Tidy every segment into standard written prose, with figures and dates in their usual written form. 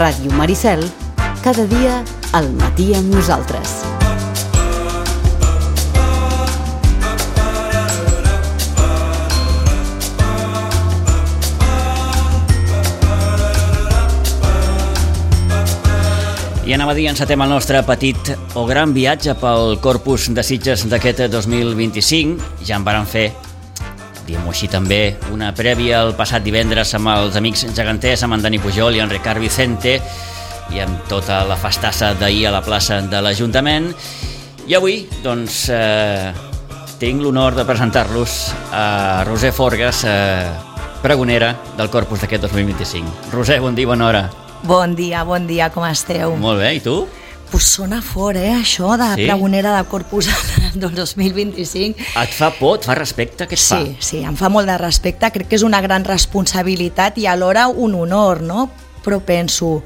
Ràdio Maricel, cada dia al matí amb nosaltres. I anava a dir, encetem el nostre petit o gran viatge pel Corpus de Sitges d'aquest 2025. Ja en vàrem fer, diguem-ho així també, una prèvia el passat divendres amb els amics geganters, amb en Dani Pujol i en Ricard Vicente, i amb tota la festassa d'ahir a la plaça de l'Ajuntament. I avui, doncs, tinc l'honor de presentar-los a Roser Forgas, pregonera del Corpus d'aquest 2025. Roser, bon dia, bona hora. Bon dia, com esteu? Molt bé, i tu? Pues sona fort, això de pregonera de Corpus del 2025. Et fa por, et fa respecte? Què et fa? Sí, em fa molt de respecte, crec que és una gran responsabilitat i alhora un honor, no? Però penso,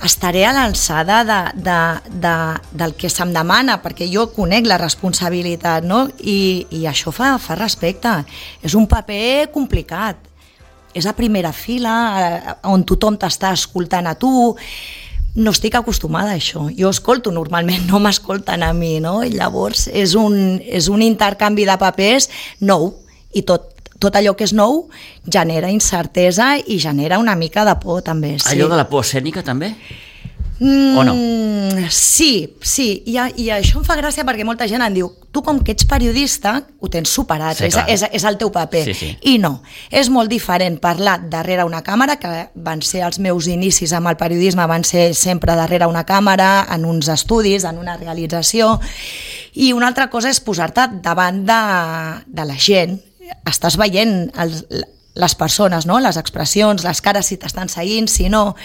estaré a l'alçada del que se'm demana, perquè jo conec la responsabilitat, no? I això fa respecte. És un paper complicat. És a primera fila, on tothom t'està escoltant a tu. No estic acostumada a això. Jo escolto normalment, no m'escolten a mi, no? I llavors és un intercanvi de papers nou, i tot allò que és nou genera incertesa i genera una mica de por, també. Sí. Allò de la por escènica, també? O no? Sí, i això em fa gràcia perquè molta gent em diu, tu com que ets periodista ho tens superat, sí, és el teu paper. Sí. I no, és molt diferent parlar darrere una càmera, que van ser els meus inicis amb el periodisme, van ser sempre darrere una càmera, en uns estudis, en una realització, i una altra cosa és posar-te davant de la gent. Estàs veient les persones, no? Les expressions, les cares, si t'estan seguint, si no.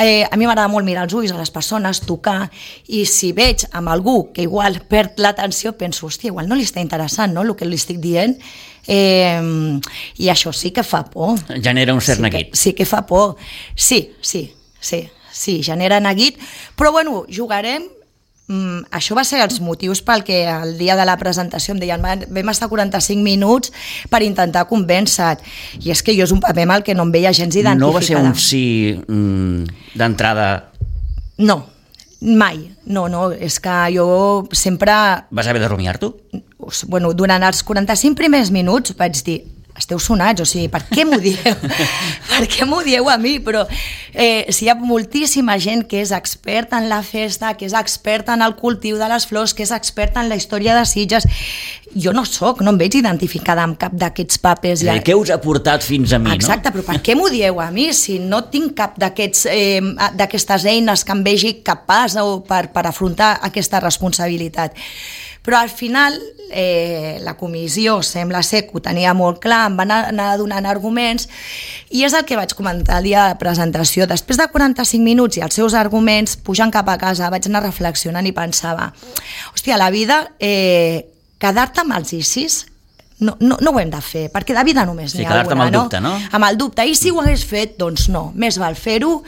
A mi m'agrada molt mirar els ulls a les persones, tocar, i si veig amb algú que igual perd l'atenció, penso, hòstia, igual no li està interessant, no?, el que li estic dient, i això sí que fa por. Genera un cert neguit. Sí que fa por. Sí, genera neguit, però bueno, jugarem. Això va ser els motius pel que el dia de la presentació em deien vam estar 45 minuts per intentar convèncer, i és que jo és un paper amb el que no em veia gens identificada. No va ser un sí d'entrada? No, mai. No, és que jo sempre... Vas haver de rumiar-t'ho? Bueno, durant els 45 primers minuts vaig dir, esteu sonats, o sigui, per què m'ho dieu? Per què m'ho dieu a mi? Però si hi ha moltíssima gent que és experta en la festa, que és experta en el cultiu de les flors, que és experta en la història de Sitges, jo no em veig identificada amb cap d'aquests papers. Què us ha portat fins a mi, exacte, no? Però per què m'ho dieu a mi si no tinc cap d'aquestes eines que em vegi capaç per afrontar aquesta responsabilitat? Però al final la comissió sembla ser que ho tenia molt clar, em van anar donant arguments, i és el que vaig comentar el dia de presentació. Després de 45 minuts i els seus arguments, pujant cap a casa, vaig anar reflexionant i pensava, hòstia, la vida, quedar-te amb els ICIs no ho hem de fer, perquè de vida només n'hi ha alguna. Quedar-te amb el dubte, no? Amb el dubte, i si ho hagués fet, doncs no, més val fer-ho.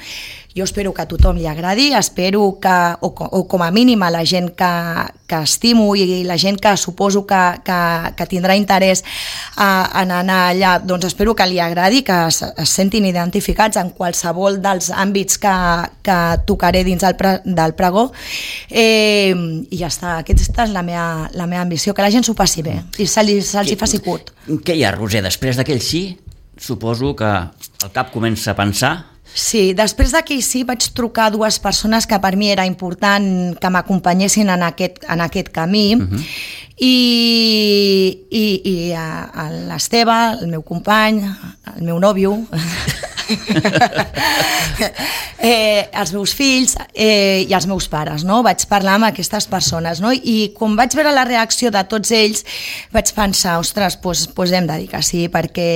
Jo espero que a tothom li agradi, espero que, o com a mínim a la gent que estimo i la gent que suposo que tindrà interès en anar allà, doncs espero que li agradi, que es sentin identificats en qualsevol dels àmbits que tocaré dins del pregó, i ja està, aquesta és la meva ambició, que la gent s'ho passi bé i se'ls hi faci curt. Què hi ha, Roser? Després d'aquell sí, suposo que el cap comença a pensar. Sí, després d'aquell sí vaig trucar a dues persones que per mi era important que m'acompanyessin en aquest camí, i l'Esteve, el meu company, el meu nòvio, els meus fills i els meus pares, no? Vaig parlar amb aquestes persones, no? I quan vaig veure la reacció de tots ells vaig pensar, ostres, doncs hem de dir que sí, perquè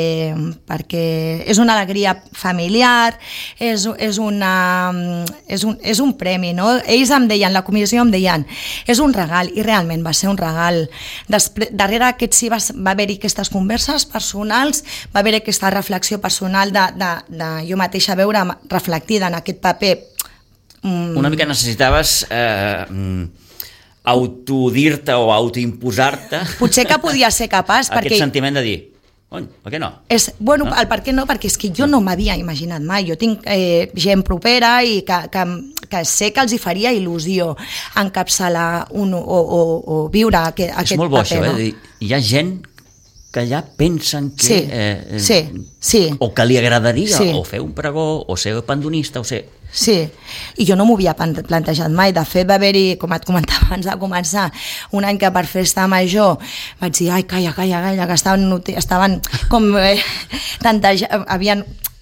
és una alegria familiar, és un premi, no? Ells em deien, la comissió em deien, és un regal, i realment va ser un regal. Darrere aquest sí va haver-hi aquestes converses personals, va haver-hi aquesta reflexió personal de jo mateixa veure reflectida en aquest paper. Una mica necessitaves autodir-te o autoimposar-te potser que podia ser capaç aquest sentiment de dir Per què no? Bueno, el per què no, perquè és que jo no m'havia imaginat mai. Jo tinc gent propera i que sé que els hi faria il·lusió encapçalar o viure aquest paper. És molt bo això, hi ha gent que ja pensen que... Sí. O que li agradaria o fer un pregó, o ser pandonista, o ser... Sí, i jo no m'ho havia plantejat mai. De fet, va haver-hi, com et comentava abans de començar, un any que per festa major vaig dir, ai, calla, que estaven com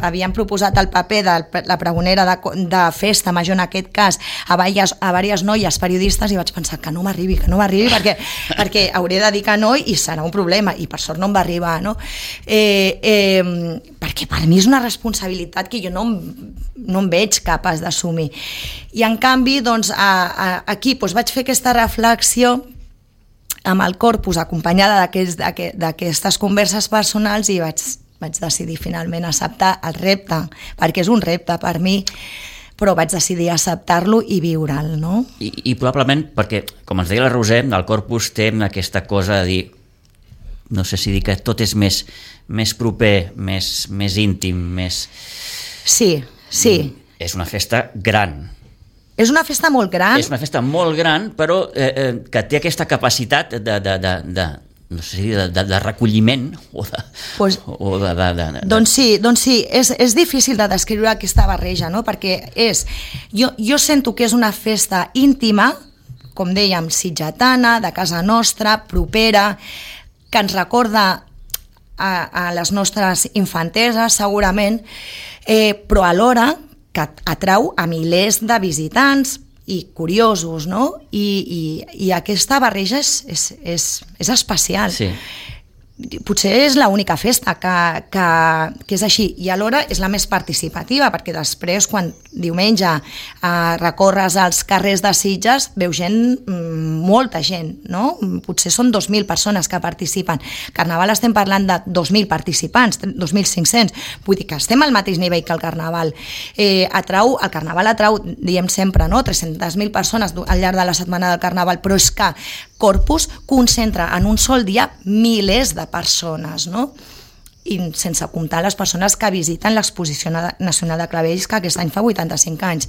havien proposat el paper de la pregonera de festa major, en aquest cas, a diverses noies periodistes, i vaig pensar que no m'arribi, perquè hauré de dir que no i serà un problema, i per sort no em va arribar, no? Perquè per mi és una responsabilitat que jo no em veig capaç d'assumir. I en canvi, doncs, aquí vaig fer aquesta reflexió amb el corpus, acompanyada d'aquestes converses personals, i vaig decidir finalment acceptar el repte, perquè és un repte per mi, però vaig decidir acceptar-lo i viure'l, no? I probablement perquè, com ens deia la Roser, el corpus té aquesta cosa de dir, no sé si dir que tot és més proper, més íntim, més... Sí. És una festa gran. És una festa molt gran. És una festa molt gran, però que té aquesta capacitat no sé si de recolliment Doncs sí, és difícil de descriure aquesta barreja, no? Perquè jo sento que és una festa íntima, com dèiem, sitgetana, de casa nostra, propera, que ens recorda a les nostres infanteses, segurament, però alhora que atrau a milers de visitants i curiosos, no? I aquesta barreja és especial. Sí. Potser és l'única festa que és així, i alhora és la més participativa, perquè després, quan diumenge recorres als carrers de Sitges, veus molta gent, no? Potser són 2.000 persones que participen. Carnaval estem parlant de 2.000 participants, 2.500, vull dir que estem al mateix nivell que el Carnaval. El Carnaval atrau, diem sempre, no? 300.000 persones al llarg de la setmana del Carnaval, però és que Corpus concentra en un sol dia milers de persones, no? I sense comptar les persones que visiten l'Exposició Nacional de Clavells, que aquest any fa 85 anys.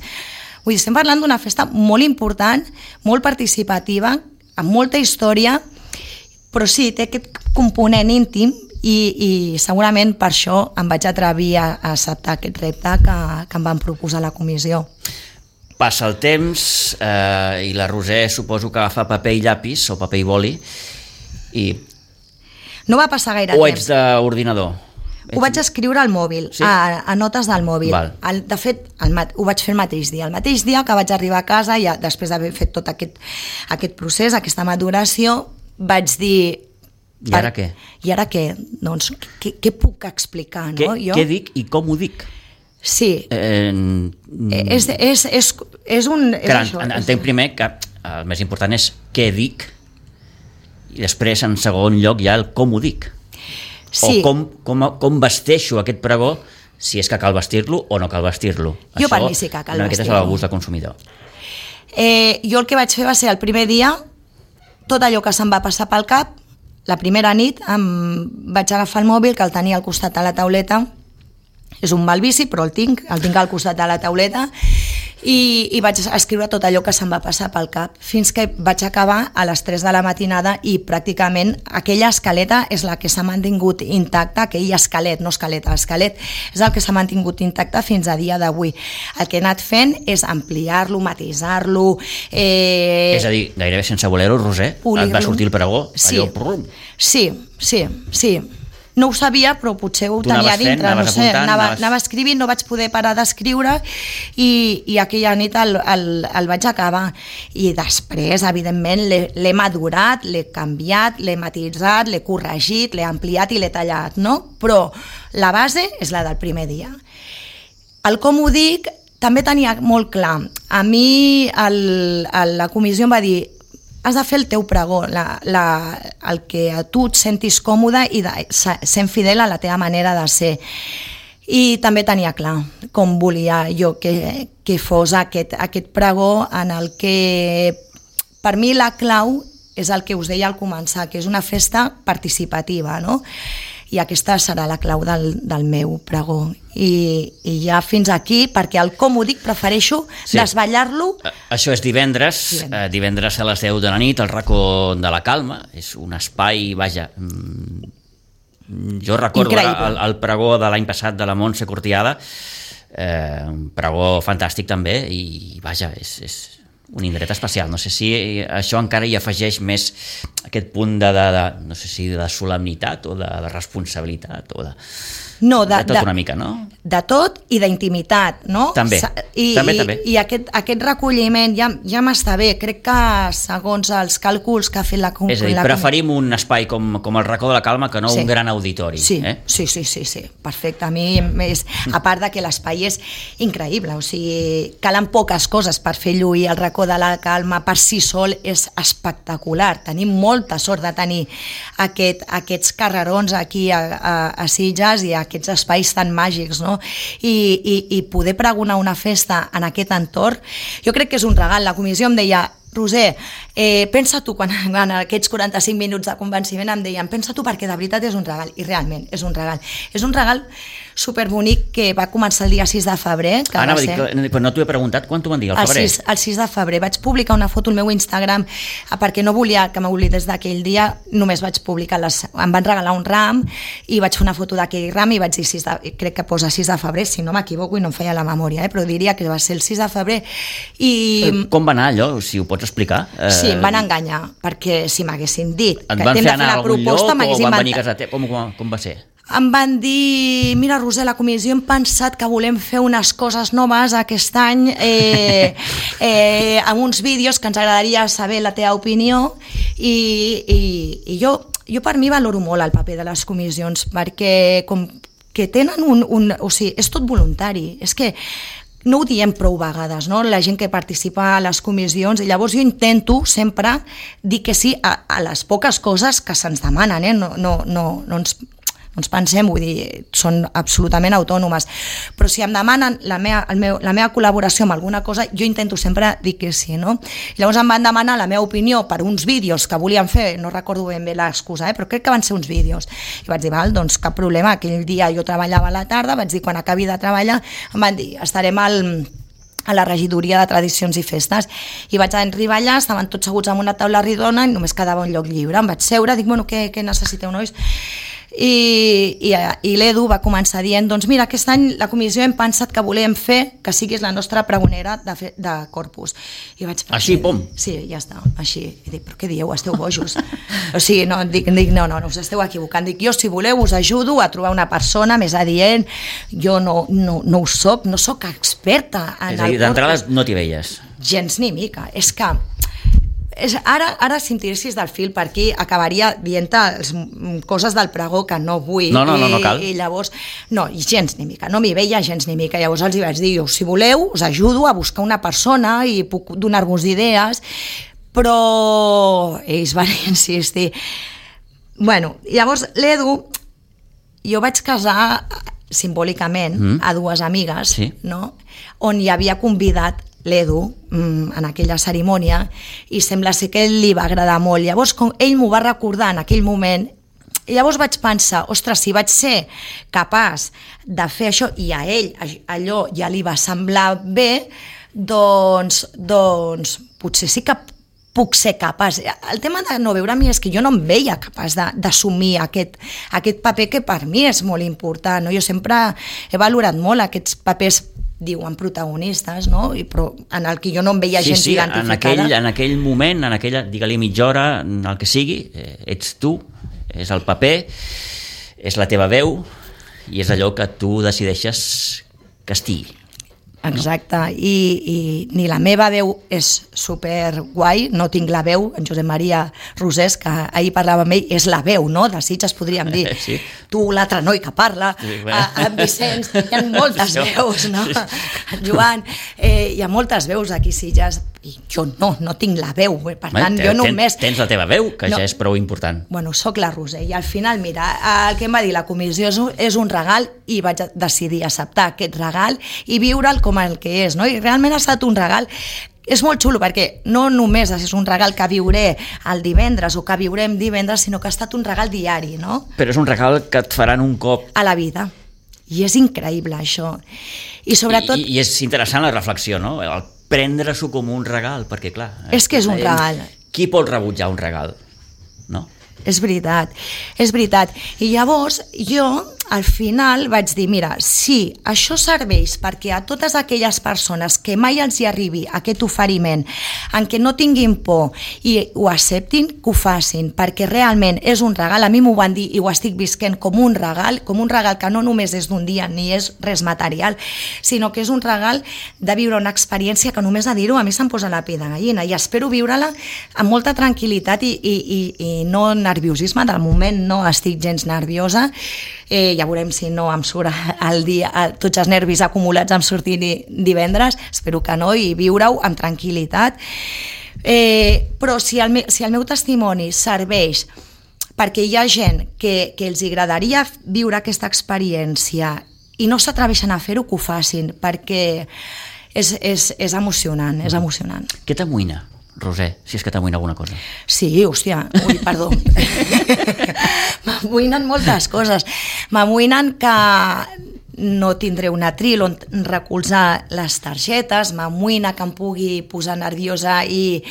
Vull dir, estem parlant d'una festa molt important, molt participativa, amb molta història, però sí, té aquest component íntim i segurament per això em vaig atrevir a acceptar aquest repte que em van proposar a la comissió. Passa el temps i la Roser suposo que agafa paper i llapis o paper i boli i... No va passar gaire temps. O ets d'ordinador? Ho vaig escriure al mòbil, sí? a notes del mòbil. De fet, ho vaig fer el mateix dia. El mateix dia que vaig arribar a casa, ja després d'haver fet tot aquest procés, aquesta maduració, vaig dir... I ara què? I ara què? Doncs, què puc explicar? No? Què dic i com ho dic? Sí. És un... Entenc primer que el més important és què dic i després, en segon lloc, hi ha el com ho dic. Sí. O com vesteixo aquest pregó, si és que cal vestir-lo o no cal vestir-lo. Jo per mi sí que cal vestir-lo. Aquest és el gust del consumidor. Jo el que vaig fer va ser el primer dia, tot allò que se'm va passar pel cap, la primera nit vaig agafar el mòbil, que el tenia al costat de la tauleta. És un mal vici, però el tinc al costat de la tauleta, i vaig escriure tot allò que se'm va passar pel cap, fins que vaig acabar a les 3 de la matinada, i pràcticament aquella escaleta és la que s'ha mantingut intacta, aquell esquelet és el que s'ha mantingut intacte fins a dia d'avui. El que he anat fent és ampliar-lo, matisar-lo... És a dir, gairebé sense voler-ho, Roser, et va sortir el pregó? Sí. No ho sabia, però potser ho tenia dintre, no sé, anava escrivint, no vaig poder parar d'escriure, i aquella nit el vaig acabar. I després, evidentment, l'he madurat, l'he canviat, l'he matisat, l'he corregit, l'he ampliat i l'he tallat, no? Però la base és la del primer dia. El com ho dic també tenia molt clar. A mi la comissió em va dir: has de fer el teu pregó, el que a tu et sentis còmode i sent fidel a la teva manera de ser. I també tenia clar com volia jo que fos aquest pregó, en el que per mi la clau és el que us deia al començar, que és una festa participativa, no? i aquesta serà la clau del meu pregó. I ja fins aquí, perquè el com ho dic prefereixo desvetllar-lo. Això és divendres a les 10 de la nit, al racó de la Calma. És un espai, vaja, jo recordo el pregó de l'any passat de la Montse Cortiada, un pregó fantàstic també, i vaja, és un indret especial. No sé si això encara hi afegeix més aquest punt de no sé si de solemnitat o de responsabilitat o de... No, de tot una mica, no? De tot i d'intimitat, no? També, també. I aquest recolliment ja m'està bé. Crec que segons els càlculs que ha fet la... És a dir, preferim un espai com el racó de la Calma que no un gran auditori. Sí, perfecte. A mi, a part de que l'espai és increïble, o sigui, calen poques coses per fer lluir el racó de la Calma per si sol, és espectacular. Tenim molta sort de tenir aquests carrerons aquí a Sitges i aquests espais tan màgics, no? I poder pregonar una festa en aquest entorn, jo crec que és un regal. La comissió em deia: Roser, pensa tu, quan en aquests 45 minuts de convenciment em deien, pensa tu, perquè de veritat és un regal, i realment és un regal. És un regal superbonic que va començar el dia 6 de febrer. Anava a dir, però no t'ho he preguntat, quan t'ho van dir, al febrer? El 6 de febrer. Vaig publicar una foto al meu Instagram perquè no volia que m'oblidés d'aquell dia, només vaig publicar, em van regalar un ram i vaig fer una foto d'aquell ram i vaig dir, crec que posa 6 de febrer, si no m'equivoco i no em feia la memòria, però diria que va ser el 6 de febrer. Com va anar allò, si ho pots explicar? Sí, em van enganyar, perquè si m'haguessin dit que hem de fer la proposta, o van venir a casa teva? Com va ser? Em van dir, mira, Roser, la comissió hem pensat que volem fer unes coses noves aquest any amb uns vídeos que ens agradaria saber la teva opinió, i jo per mi valoro molt el paper de les comissions, perquè com que tenen o sigui, és tot voluntari, és que no ho diem prou vegades, no? La gent que participa a les comissions, i llavors jo intento sempre dir que sí a les poques coses que se'ns demanen, no ens pensem, vull dir, són absolutament autònomes, però si em demanen la meva col·laboració amb alguna cosa, jo intento sempre dir que sí, no? Llavors em van demanar la meva opinió per uns vídeos que volien fer, no recordo ben bé l'excusa, però crec que van ser uns vídeos, i vaig dir, val, doncs cap problema. Aquell dia jo treballava a la tarda, vaig dir, quan acabi de treballar, em van dir, estarem a la regidoria de tradicions i festes, i vaig arribar allà, estaven tots seguts en una taula redona i només quedava un lloc lliure. Em vaig seure, dic, bueno, què necessiteu, nois? I l'Edu va començar dient, doncs mira, aquest any la comissió hem pensat que volem fer que siguis la nostra pregonera de Corpus. I vaig pensar, així, pom? Sí, ja està, així. I dic, però què dieu, esteu bojos? O sigui, no, us esteu equivocant. Dic, jo, si voleu, us ajudo a trobar una persona més adient. Jo no ho soc, no soc experta en el Corpus. És a dir, d'entrada no t'hi veies? Gens ni mica. És que ara si em tiressis del fil per aquí acabaria dient-te coses del pregó que no vull. No cal. I llavors, no, gens ni mica, no m'hi veia gens ni mica. Llavors els hi vaig dir, jo, si voleu, us ajudo a buscar una persona i puc donar-vos idees, però ells van insistir. Bueno, llavors l'Edu, jo vaig casar simbòlicament a dues amigues, sí, no? On hi havia convidat l'Edu en aquella cerimònia, i sembla ser que li va agradar molt. Llavors, com ell m'ho va recordar en aquell moment, i llavors vaig pensar, ostres, si vaig ser capaç de fer això i a ell allò ja li va semblar bé, doncs potser sí que puc ser capaç. El tema de no veure a mi és que jo no em veia capaç d'assumir aquest paper que per mi és molt important, no? Jo sempre he valorat molt aquests papers, diuen protagonistes, no? Però en el que jo no em veia gens identificada. En aquell moment, en aquella, digue-li mitja hora, el que sigui, ets tu, és el paper, és la teva veu, i és allò que tu decideixes que estigui. Exacte, i ni la meva veu és super guai, no tinc la veu, en Josep Maria Rosés, que ahir parlava amb ell, és la veu, no? De Sitges podríem dir, sí. Tu, l'altre noi que parla, sí, en Vicenç, hi ha moltes veus, no? En Joan, hi ha moltes veus aquí a Sitges, i jo no tinc la veu, per tant, jo només... Tens la teva veu, que ja és prou important. Bueno, soc la Roser, i al final, mira, el que em va dir la comissió és un regal, i vaig decidir acceptar aquest regal i viure'l com el que és, no? I realment ha estat un regal és molt xulo perquè no només és un regal que viuré el divendres o que viurem divendres, sinó que ha estat un regal diari, no? Però és un regal que et faran un cop. A la vida. I és increïble, això. I sobretot... I és interessant la reflexió, no? El prendre-s'ho com un regal, perquè clar... És que és un regal. Qui pot rebutjar un regal? No? És veritat, és veritat. I llavors jo al final vaig dir, mira, si això serveix perquè a totes aquelles persones que mai els hi arribi aquest oferiment, en què no tinguin por i ho acceptin, que ho facin, perquè realment és un regal, a mi m'ho van dir i ho estic visquent com un regal que no només és d'un dia ni és res material, sinó que és un regal de viure una experiència que només a dir-ho a mi se'm posa la pell de gallina i espero viure-la amb molta tranquil·litat i no nerviosisme, del moment no estic gens nerviosa, ja veurem si no em surt el dia, tots els nervis acumulats em surtin divendres, espero que no, i viure-ho amb tranquil·litat. Però si el meu testimoni serveix perquè hi ha gent que els agradaria viure aquesta experiència i no s'atreveixen a fer-ho, que ho facin, perquè és emocionant, és emocionant. Què t'amoïna, Roser, si és que t'amoïna alguna cosa? Sí, hòstia, perdó. M'amoïnen moltes coses. M'amoïnen que no tindré un atril on recolzar les targetes, m'amoïna que em pugui posar nerviosa i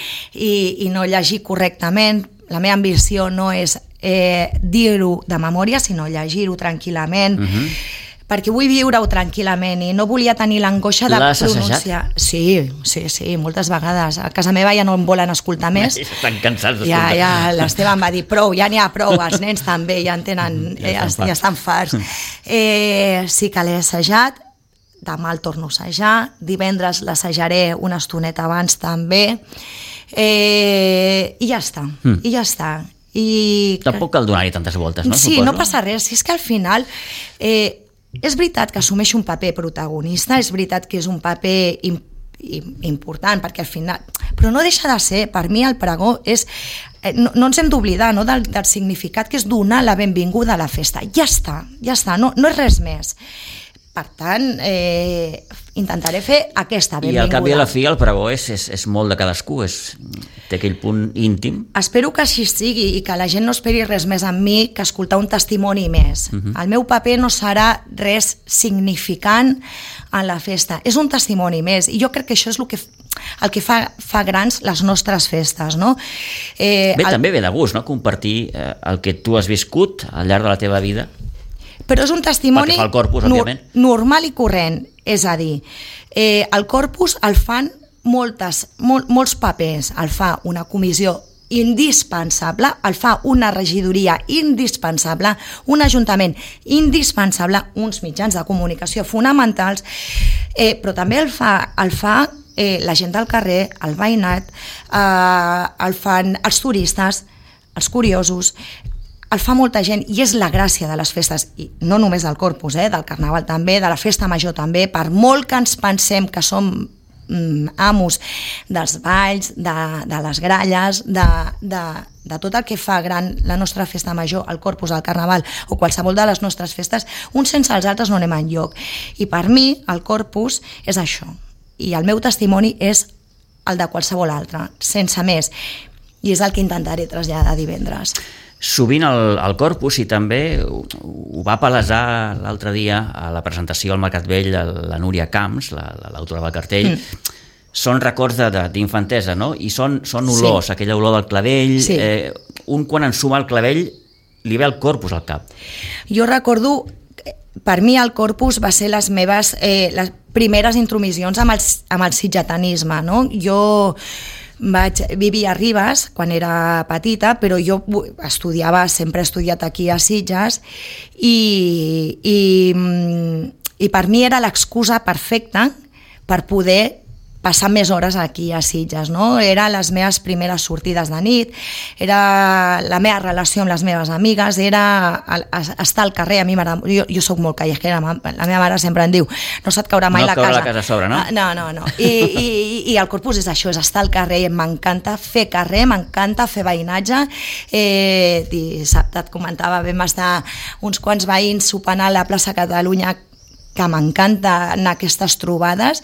no llegir correctament. La meva ambició no és dir-ho de memòria, sinó llegir-ho tranquil·lament, perquè vull viure-ho tranquil·lament i no volia tenir l'angoixa de pronunciar. Sí, moltes vegades. A casa meva ja no em volen escoltar més. Estan cansats d'escoltar. Ja l'Esteve em va dir, prou, ja n'hi ha prou, els nens també ja en tenen, ja estan farts. Sí que l'he assajat, demà el torno a assajar, divendres l'assajaré una estoneta abans també, i ja està, Tampoc cal donar-hi tantes voltes, no? Sí, no passa res, si és que al final... és veritat que assumeix un paper protagonista, és veritat que és un paper important, perquè al final... Però no deixa de ser, per mi el pregó és... No ens hem d'oblidar del significat que és donar la benvinguda a la festa. Ja està, no és res més. Per tant, intentaré fer aquesta benvinguda. I al cap i a la fi el pregó és molt de cadascú, té aquell punt íntim. Espero que així sigui i que la gent no esperi res més en mi que escoltar un testimoni més. El meu paper no serà res significant en la festa, és un testimoni més i jo crec que això és el que fa grans les nostres festes, no? També ve de gust, no?, compartir el que tu has viscut al llarg de la teva vida. Però és un testimoni corpus, normal i corrent, és a dir, el corpus el fan molts papers, el fa una comissió indispensable, el fa una regidoria indispensable, un ajuntament indispensable, uns mitjans de comunicació fonamentals, però també el fa la gent del carrer, el veïnat, el fan els turistes, els curiosos, el fa molta gent i és la gràcia de les festes, i no només del Corpus, del Carnaval també, de la Festa Major també, per molt que ens pensem que som amos dels balls, de les gralles, de tot el que fa gran la nostra Festa Major, el Corpus, el Carnaval o qualsevol de les nostres festes, uns sense els altres no anem enlloc. I per mi el Corpus és això, i el meu testimoni és el de qualsevol altre, sense més, i és el que intentaré traslladar divendres. Sovint el Corpus, i també ho va palesar l'altre dia a la presentació al Mercat Vell la Núria Camps, l'autora del cartell, són records d'infantesa, no? I són olors, aquella olor del clavell, un quan ensuma el clavell li ve el Corpus al cap. Jo recordo, per mi el Corpus va ser les meves les primeres intromissions amb el sitgetanisme, no? Jo vaig vivir a Ribes quan era petita, però jo sempre he estudiat aquí a Sitges i per mi era l'excusa perfecta per poder passar més hores aquí a Sitges, no? Era les meves primeres sortides de nit, era la meva relació amb les meves amigues, era estar al carrer. A mi jo soc molt callejera, la meva mare sempre em diu no se't caurà mai la casa. No caurà la casa a sobre, no? No. I el Corpus és això, és estar al carrer, m'encanta fer carrer, m'encanta fer veïnatge. Dissabte et comentava, vam estar uns quants veïns sopant a la plaça Catalunya, que m'encanta anar a aquestes trobades.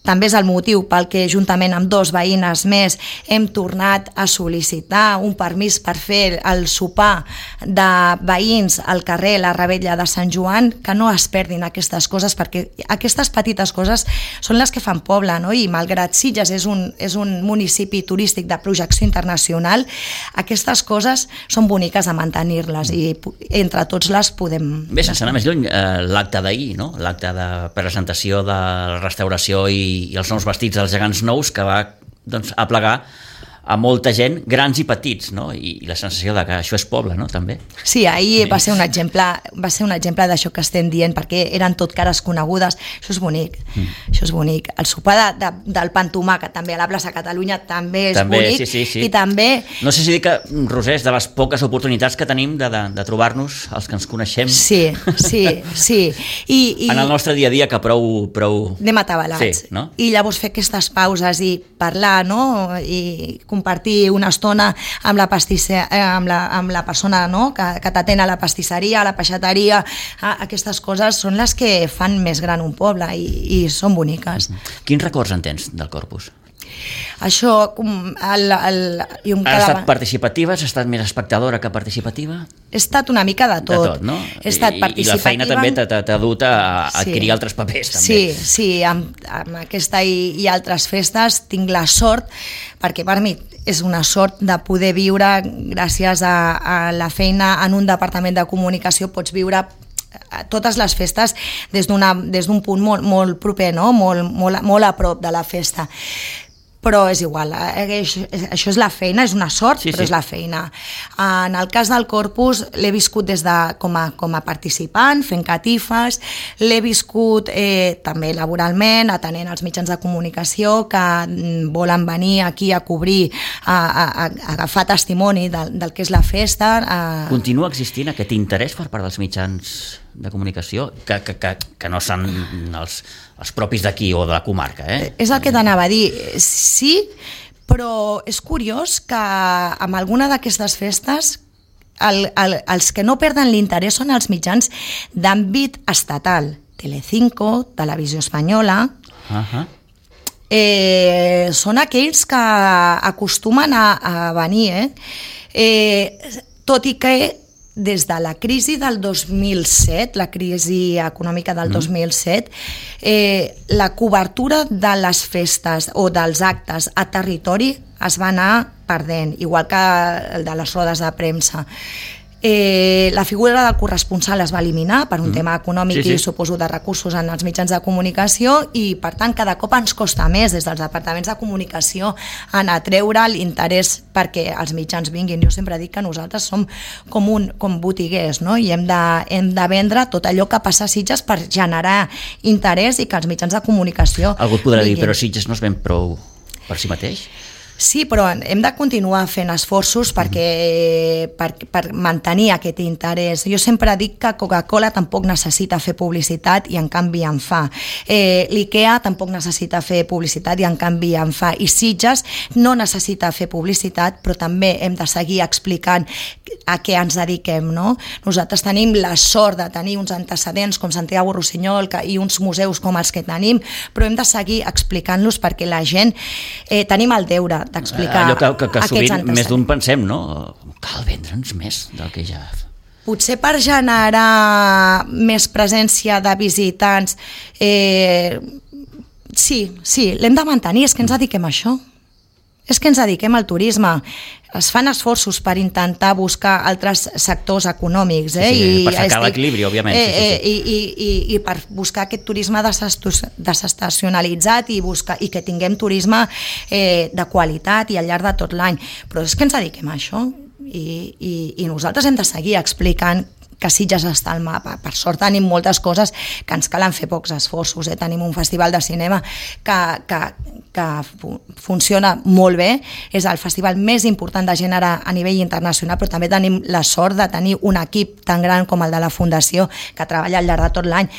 també és el motiu pel que juntament amb 2 veïnes més hem tornat a sol·licitar un permís per fer el sopar de veïns al carrer La Rebella de Sant Joan, que no es perdin aquestes coses, perquè aquestes petites coses són les que fan poble, no? I malgrat Sitges és un municipi turístic de projecció internacional, aquestes coses són boniques a mantenir-les i entre tots les podem... Bé, sense anar més lluny, l'acte d'ahir, no? L'acte de presentació de la restauració i els nous vestits dels gegants nous, que va aplegar a molta gent, grans i petits, no? I la sensació de que això és poble, no? També. Sí, ahir va ser un exemple d'això que estem dient, perquè eren tot cares conegudes. Això és bonic, això és bonic. El sopar del pa amb tomàquet, també a la plaça Catalunya, també és bonic. Sí. I també... No sé si dir que, Roser, és de les poques oportunitats que tenim de trobar-nos, els que ens coneixem. Sí. En el nostre dia a dia, que prou... Anem atabalats. Sí, no? I llavors fer aquestes pauses i parlar, no? I compartir una estona amb la persona, no? que t'atén a la pastisseria, a la peixateria, aquestes coses són les que fan més gran un poble i són boniques. Quins records en tens del Corpus? Això... Has estat participativa? Has estat més espectadora que participativa? He estat una mica de tot. De tot, no? He estat participativa. I la feina també t'ha dut a adquirir altres papers, també. Sí, amb aquesta i altres festes tinc la sort, perquè per mi és una sort de poder viure, gràcies a la feina en un departament de comunicació, pots viure totes les festes des d'un punt molt proper, no? molt a prop de la festa. Però és igual, això és la feina, és una sort, però és la feina. En el cas del Corpus l'he viscut com a participant, fent catifes, l'he viscut també laboralment, atenent els mitjans de comunicació que volen venir aquí a cobrir, a agafar testimoni del que és la festa. Continua existint aquest interès per part dels mitjans de comunicació, que no són els propis d'aquí o de la comarca, És el que t'anava a dir. Sí, però és curiós que amb alguna d'aquestes festes els que no perden l'interès són els mitjans d'àmbit estatal. Telecinco, Televisió Espanyola... Són aquells que acostumen a venir, tot i que des de la crisi del 2007, la crisi econòmica del 2007, la cobertura de les festes o dels actes a territori es va anar perdent, igual que el de les rodes de premsa. La figura del corresponsal es va eliminar per un tema econòmic i suposo de recursos en els mitjans de comunicació i per tant cada cop ens costa més des dels departaments de comunicació en atreure l'interès perquè els mitjans vinguin. Jo sempre dic que nosaltres som com botiguers, no? I hem de vendre tot allò que passa a Sitges per generar interès i que els mitjans de comunicació algú et podrà dir, però Sitges no es ven prou per si mateix? Sí, però hem de continuar fent esforços per mantenir aquest interès. Jo sempre dic que Coca-Cola tampoc necessita fer publicitat i en canvi en fa. L'IKEA tampoc necessita fer publicitat i en canvi en fa. I Sitges no necessita fer publicitat, però també hem de seguir explicant a què ens dediquem, no? Nosaltres tenim la sort de tenir uns antecedents com Santiago Rossinyol i uns museus com els que tenim, però hem de seguir explicant-los perquè la gent tenim el deure d'explicar allò que aquests sovint antecedents. Més d'un pensem, no? Cal vendre'ns més del que ja... Potser per generar més presència de visitants, sí, l'hem de mantenir, és que ens dediquem a això. És que ens dediquem al turisme. Es fan esforços per intentar buscar altres sectors econòmics. Per cercar l'equilibri, òbviament. I per buscar aquest turisme desestacionalitzat i que tinguem turisme de qualitat i al llarg de tot l'any. Però és que ens dediquem a això i nosaltres hem de seguir explicant que Sitges està al mapa. Per sort tenim moltes coses que ens calen fer pocs esforços. Tenim un festival de cinema que funciona molt bé, és el festival més important de gènere a nivell internacional, però també tenim la sort de tenir un equip tan gran com el de la Fundació que treballa al llarg de tot l'any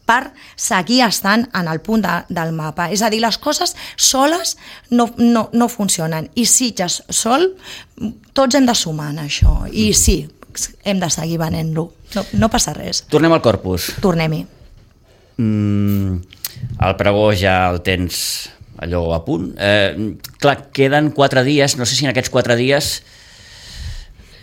per seguir estant en el punt del mapa. És a dir, les coses soles no funcionen i Sitges sol, tots hem de sumar en això i sí, hem de seguir venent-lo, no passa res. Tornem al Corpus. Tornem-hi. El pregó ja el tens allò a punt. Clar, queden 4 dies, no sé si en aquests 4 dies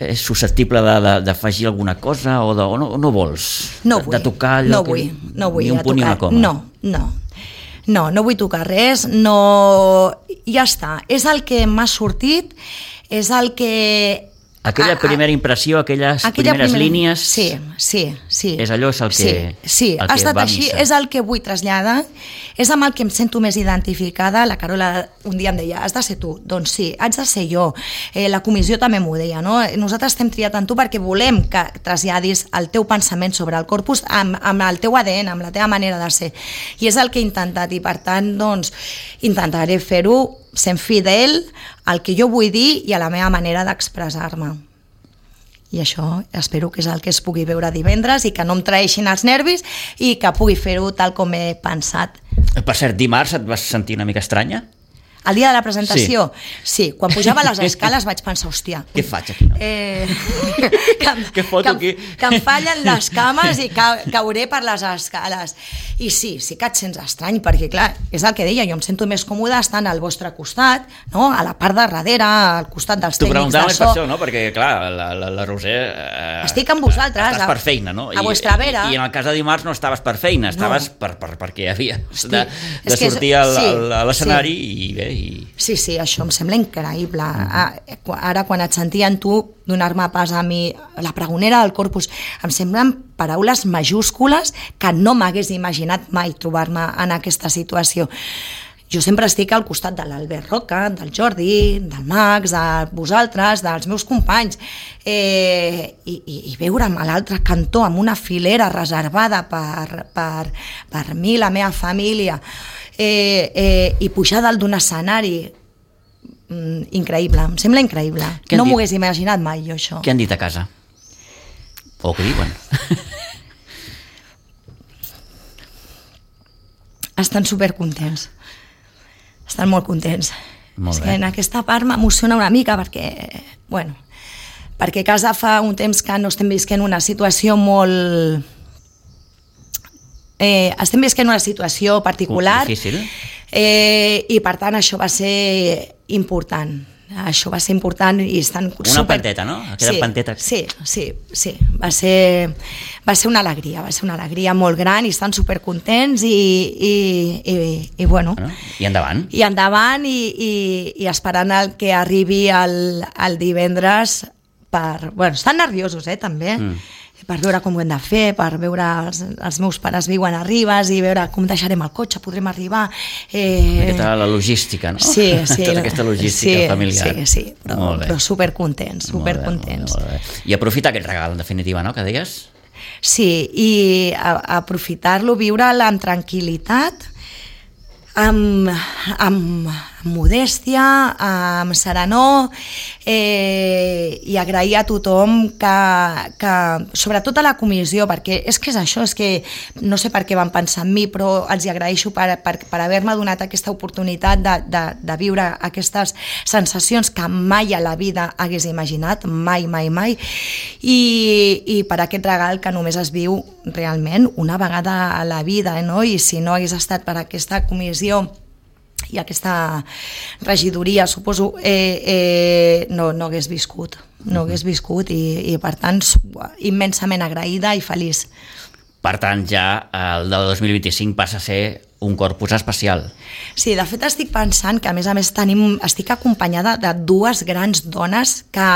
és susceptible d'afegir alguna cosa o no vols? No vull, de tocar allò no vull ni un punt ni una coma? No vull tocar res, ja està. És el que m'ha sortit, és el que... Aquella primera impressió, aquelles primeres línies... Sí. És allò, és el que, sí, el ha que estat va així, missa. és el que vull traslladar, és amb el que em sento més identificada. La Carola un dia em deia, has de ser tu. Doncs sí, haig de ser jo. La comissió també m'ho deia, no? Nosaltres t'hem triat en tu perquè volem que traslladis el teu pensament sobre el corpus amb el teu ADN, amb la teva manera de ser. I és el que he intentat, i per tant, doncs, intentaré fer-ho sent fidel al que jo vull dir i a la meva manera d'expressar-me. I això espero que és el que es pugui veure divendres i que no em traeixin els nervis i que pugui fer-ho tal com he pensat. Per cert, dimarts et vas sentir una mica estranya? El dia de la presentació? Sí, quan pujava les escales vaig pensar, hòstia... Què faig aquí? No? Què foto aquí? Que em fallen les cames i cauré per les escales. I sí que et sents estrany, perquè clar, és el que deia, jo em sento més còmoda estant al vostre costat, no? A la part de darrere, al costat dels tècnics de so. Per això, no? Perquè clar, la Roser... Estic amb vosaltres. Estàs per feina, no? A vostra vera. I en el cas de dimarts no estaves per feina, estaves perquè havia de sortir a l'escenari i bé... Sí, això em sembla increïble. Ara, quan et sentia en tu donar-me pas a mi, la pregonera del corpus, em semblen paraules majúscules que no m'hagués imaginat mai trobar-me en aquesta situació. Jo sempre estic al costat de l'Albert Roca, del Jordi, del Max, de vosaltres, dels meus companys, i veure'm a l'altre cantó amb una filera reservada per mi, la meva família, i pujar dalt d'un escenari, increïble, em sembla increïble. No m'ho hagués imaginat mai, jo, això. Què han dit a casa? O què diuen? Estan supercontents. Estan molt contents. Molt bé. És que en aquesta part m'emociona una mica perquè a casa fa un temps que no estem visquent una situació molt... estem visquent una situació particular. Difícil. I per tant això va ser important. Això va ser important i estan una panteta, no? Aquella panteta. Sí. Va ser una alegria molt gran i estan supercontents i bueno. I endavant. I endavant i esperant el que arribi el divendres bueno, estan nerviosos, també. Per veure com ho hem de fer, per veure els meus pares viuen a Ribes i veure com deixarem el cotxe, podrem arribar... La logística, no? Sí. Tota aquesta logística familiar. Sí, però supercontents. Molt bé. I aprofitar aquest regal, en definitiva, no?, que deies? Sí, i aprofitar-lo, viure'l amb tranquil·litat, amb modèstia, amb serenor, i agrair a tothom que sobretot a la comissió, perquè és que és això, és que no sé per què van pensar en mi, però els hi agraeixo per haver-me donat aquesta oportunitat de viure aquestes sensacions que mai a la vida hagués imaginat, mai, i per aquest regal que només es viu realment una vegada a la vida, no? I si no hagués estat per aquesta comissió i aquesta regidoria, suposo, no hagués viscut i per tant immensament agraïda i feliç. Per tant, ja el del 2025 passa a ser un corpus especial. Sí, de fet estic pensant que a més estic acompanyada de 2 grans dones que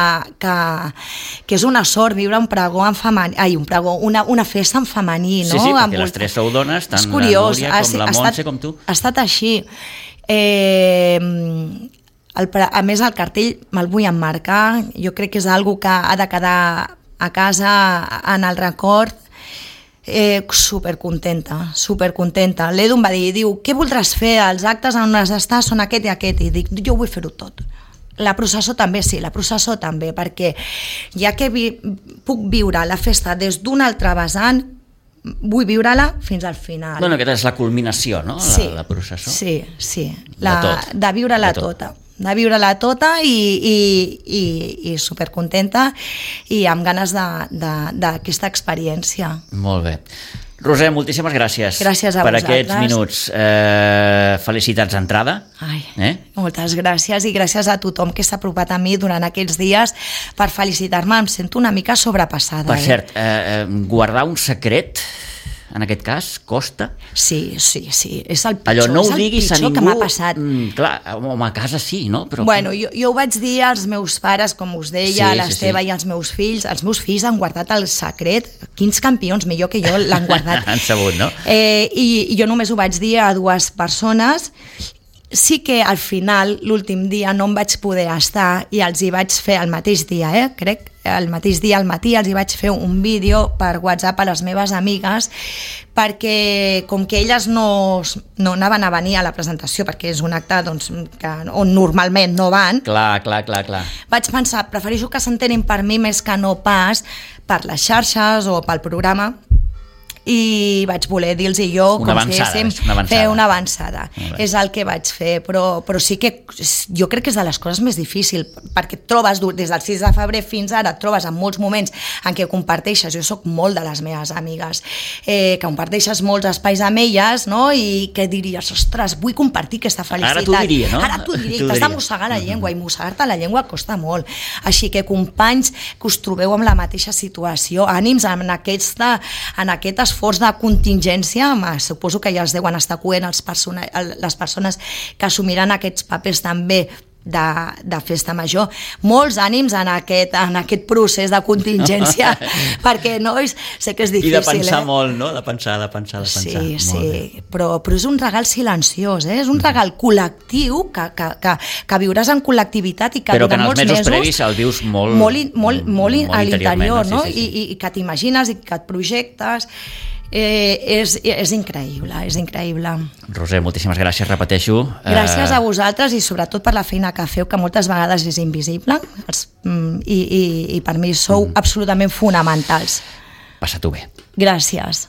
és una sort viure un pregó en femení, una festa en femení, no? Sí, perquè les 3 sou dones, tant la Núria com la Montse com tu. Ha estat així. A més el cartell me'l vull emmarcar, jo crec que és algo que ha de quedar a casa en el record. Supercontenta. L'Edu em va dir, què voldràs fer? Els actes on has d'estar són aquest i aquest, i dic, jo vull fer-ho tot. La processó també, perquè ja que puc viure la festa des d'un altre vessant, vull viure-la fins al final. Bueno, aquesta és la culminació, no? La processó. Sí. De viure-la tota. De viure-la tota i supercontenta i amb ganes d'aquesta experiència. Molt bé. Roser, moltíssimes gràcies, gràcies a per vosaltres. aquests minuts. Felicitats d'entrada. Moltes gràcies i gràcies a tothom que s'ha apropat a mi durant aquests dies per felicitar-me. Em sento una mica sobrepassada. Per cert, guardar un secret, en aquest cas, costa? Sí, és el pitjor, allò no ho és el diguis a pitjor ningú, que m'ha passat. Clar, home, a casa sí, no? Però... Bueno, jo ho vaig dir als meus pares, com us deia, a l'Esteve i als meus fills. Els meus fills han guardat el secret. Quins campions, millor que jo, l'han guardat. Han sabut, no? I jo només ho vaig dir a 2 persones. Sí que al final, l'últim dia, no em vaig poder estar i els hi vaig fer el mateix dia, crec, el mateix dia al matí els hi vaig fer un vídeo per WhatsApp a les meves amigues perquè com que elles no anaven a venir a la presentació perquè és un acte doncs, on normalment no van, clar. vaig pensar, prefereixo que s'entenin per mi més que no pas per les xarxes o pel programa, i vaig voler dir-los jo com si diguéssim fer una avançada. És el que vaig fer, però sí que jo crec que és de les coses més difícils, perquè et trobes des del 6 de febrer fins ara, et trobes en molts moments en què comparteixes, jo soc molt de les meves amigues, que comparteixes molts espais amb elles, no? I que diries, ostres, vull compartir aquesta felicitat. Ara t'ho diria, no? Ara t'ho diria, t'has de mossegar la llengua, i mossegar-te la llengua costa molt. Així que, companys, que us trobeu amb la mateixa situació, ànims en aquest esforç de contingència, suposo que ja els deuen estar coent les persones que assumiran aquests papers també de festa major. Molts ànims en aquest procés de contingència, perquè nois, sé que és difícil. I de pensar molt, no? De pensar. Sí, però és un regal silenciós, és un regal col·lectiu que viuràs en col·lectivitat i que però que durant en els molts mesos previs el vius molt a l'interior, no? Sí. I que t'imagines i que et projectes. És increïble, és increïble. Roser, moltíssimes gràcies, repeteixo. Gràcies a vosaltres i sobretot per la feina que feu, que moltes vegades és invisible, i per mi sou absolutament fonamentals. Passa-t'ho bé. Gràcies.